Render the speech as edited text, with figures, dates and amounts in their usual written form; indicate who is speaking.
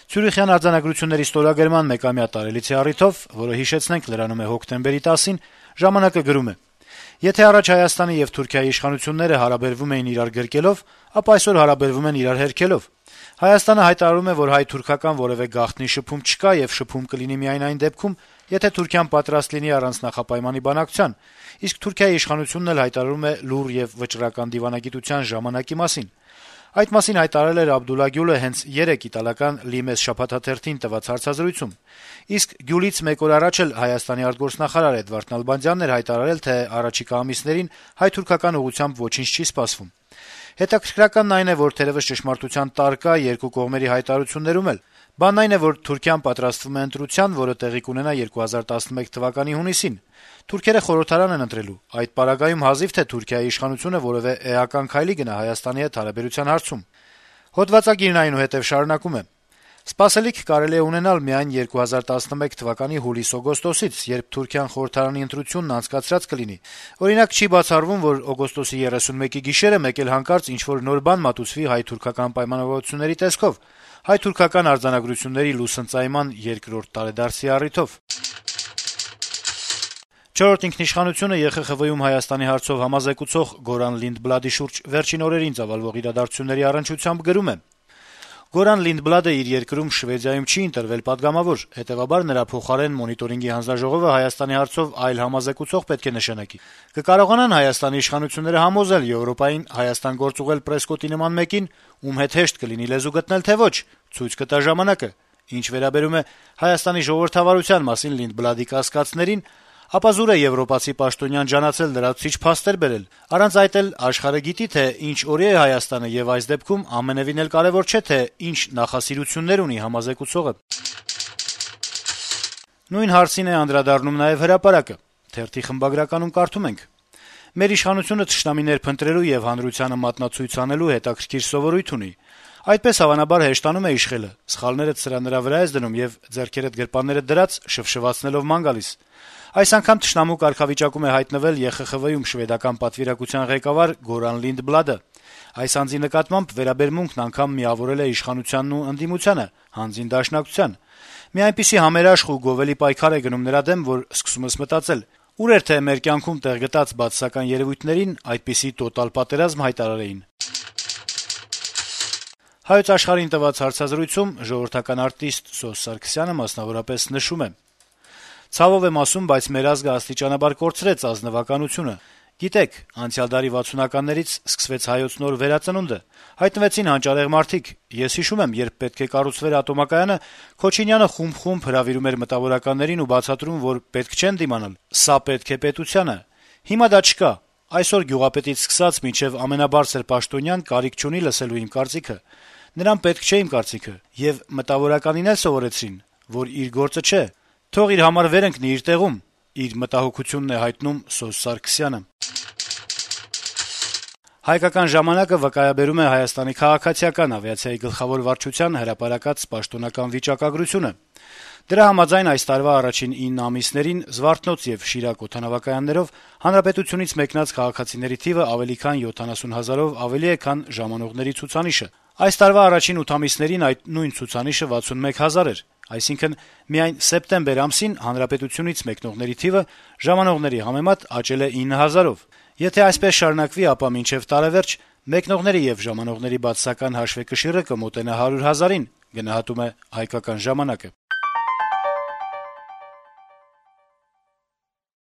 Speaker 1: Ցյուրիխյան արձանագրությունների ստորագրման մեկամյա տարելիցի առիթով, որը հիշեցնենք լրանում է հոկտեմբերի 10-ին, «Ժամանակ»-ը գրում է. - «Եթե առաջ Հայաստանի եւ Թուրքիայի իշխանությունները հարաբերվում էին իրար գրկելով, ապա այսօր հարաբերվում են իրար հերքելով։ Հայաստանը հայտարարում է, որ հայ-թուրքական որեւէ գաղտնի շփում չկա եւ շփում կլինի միայն այն դեպքում, եթե Թուրքիան պատրաստ լինի առանց նախապայմանի բանակցության, իսկ Թուրքիայի իշխանությունն էլ հայտարարում է լուռ եւ վճռական դիվանագիտության ժամանակի մասին։ Այդ մասին հայտարարել էր Աբդուլլա Գյուլը հենց 3 իտալական Լիմես շաբաթաթերթին տված հարցազրույցում, իսկ Գյուլից մեկ օր առաջ էլ Հայաստանի արտգործնախարար Էդվարդ Նալբանդյանն էր հայտարարել, թե առաջիկա ամիսներին հայ-թուրքական ուղղությամբ ոչինչ չի սպասվում։ Հետաքրքրականն այն է, որ թերեւս ճշմարտության տար կա երկու կողմերի հայտարարություններում էլ։ Բանն այն է, որ Թուրքիան պատրաստվում է ընտրության, որը տեղի կունենա 2011 թվականի հունիսին։ Թուրքերը խորհրդարան են ընտրելու։ Այդ պարագայում հազիվ թե Թուրքիայի իշխանությունը որեւէ էական քայլի գնա Հայաստանի հետ հարաբերության հարցում»։ Հոդվածագիրն այնուհետև շարունակում է. «Սպասելիք կարելի է ունենալ միայն 2011 թվականի հուլիս-օգոստոսից, երբ Թուրքիան խորհրդարանի ընտրությունն անցկացրած կլինի։ Օրինակ, չի բացառվում, որ օգոստոսի 31-ի գիշերը մեկ էլ հանկարծ ինչ-որ նոր բան մատուցվի հայ-թուրքական պայմանավորվածությունների տեսքով, հայ-թուրքական արձանագրությունների լուսընծայման երկրորդ տարեդարձի առիթով»։ «Չորրորդ ինքնիշխանություն»-ը ԵԽԽՎ-ում Հայաստանի հարցով համազեկուցող Գորան Լինդբլադի շուրջ վերջին օրերին ծավալվող իրադարձությունների առնչությամբ գրում է. - «Գորան Լինդբլադը իր երկրում Շվեդիայում չի ընտրվել պատգամավոր, հետեւաբար նրա փոխարեն Մոնիտորինգի հանձնաժողովը Հայաստանի հարցով այլ համազեկուցող պետք է նշանակի։ Կկարողանան Հայաստանի իշխանությունները համոզել Եվրոպային Հայաստան գործուղել պրեսկոտի նման մեկին, ում հետ հեշտ կլինի լեզու գտնել, թե ոչ, ցույց կտա ժամանակը։ Ինչ վերաբերում է Հայաստանի ժողովրդավարության մասին Լինդբլադի կասկածներին, ապա զուր է եվրոպացի պաշտոնյան ջանացել լրացուցիչ փաստեր բերել։ Առանց այդ էլ աշխարհը գիտի, թե ինչ օրի է Հայաստանը, եւ այս դեպքում ամենեւին էլ կարեւոր չէ, թե ինչ նախասիրություններ ունի համազեկուցողը»։ Նույն հարցին է անդրադառնում նաեւ Հրապարակը։ Թերթի խմբագրականում կարդում ենք. - «Մեր իշխանությունը թշնամիներ փնտրելու եւ հանրությանը մատնացույց անելու հետաքրքիր սովորույթ ունի։ Այդպես հավանաբար հեշտանում է իշխելը, սխալներդ սրա նրա վրա ես դնում եւ ձեռքերդ գրպաններդ դրած շվշվացնելով ման գալիս։ Այս անգամ թշնամու կարգավիճակում է հայտնվել ԵԽԽՎ-ում շվեդական պատվիրակության ղեկավար Գորան Լինդբլադը։ Այս անձի նկատմամբ վերաբերմունքն անգամ միավորել է իշխանությանն ու ընդդիմությանը, հանձին դաշնակցության։ Մի այնպիսի համերաշխ ու գովելի պայքար է գնում նրա դեմ, որ սկսում ես մտածել՝ ուր էր թե մեր կյանքում տեղ գտած բացասական երեւույթներին այդպիսի տոտալ պատերազմ հայտարարեին»։ Հայոց Աշխարհին տված հարցազրույցում ժողովրդական արտիստ Սոս Սարգսյանը մասնավորապես նշում է. - «Ցավով եմ ասում, բայց մեր ազգը աստիճանաբար կորցրեց ազնվականությունը։ Գիտեք, անցյալ դարի 60-ականներից սկսվեց հայոց նոր վերածնունդը, հայտնվեցին հանճարեղ մարդիկ։ Ես հիշում եմ, երբ պետք է կառուցվեր ատոմակայանը, Քոչինյանը խումբ-խումբ հրավիրում էր մտավորականներին ու բացատրում, որ պետք չեն դիմանալ, սա պետք է պետությանը։ Հիմա դա չկա։ Այսօր գյուղապետից սկսած մինչեւ ամենաբարձր պաշտոնյան կարիք չունի լսելու իմ կարծիքը։ Նրան պետք չէ իմ կարծիքը, եւ մտավորականին էլ սովորեցրին, որ իր գործը չէ։ Թող իր համար վեր ընկնի իր տեղում», իր մտահոգությունն է հայտնում Սոս Սարգսյանը։ «Հայկական ժամանակ»-ը վկայաբերում է Հայաստանի քաղաքացիական ավիացիայի գլխավոր վարչության հրապարակած պաշտոնական վիճակագրությունը։ Դրա համաձայն այս տարվա առաջին 9 ամիսներին Զվարթնոց եւ Շիրակ օդանավակայաններով հանրապետությունից մեկնած քաղաքացիների թիվը ավելի քան 70 հազարով ավելի է, քան ժամանողների ցուցանիշը։ Այս տարվա առաջին 8 ամիսներին այդ նույն ցուցանիշը 61 հազար էր։ Այսինքն միայն սեպտեմբեր ամսին հանրապետությունից մեկնողների թիվը ժամանողների համեմատ աճել է 9 հազարով։ Եթե այսպես շարունակվի, ապա մինչեւ տարեվերջ մեկնողների եւ ժամանողների բացասական հաշվեկշիռը կմոտենա 100 հազարին, գնահատում է «Հայկական ժամանակ»-ը։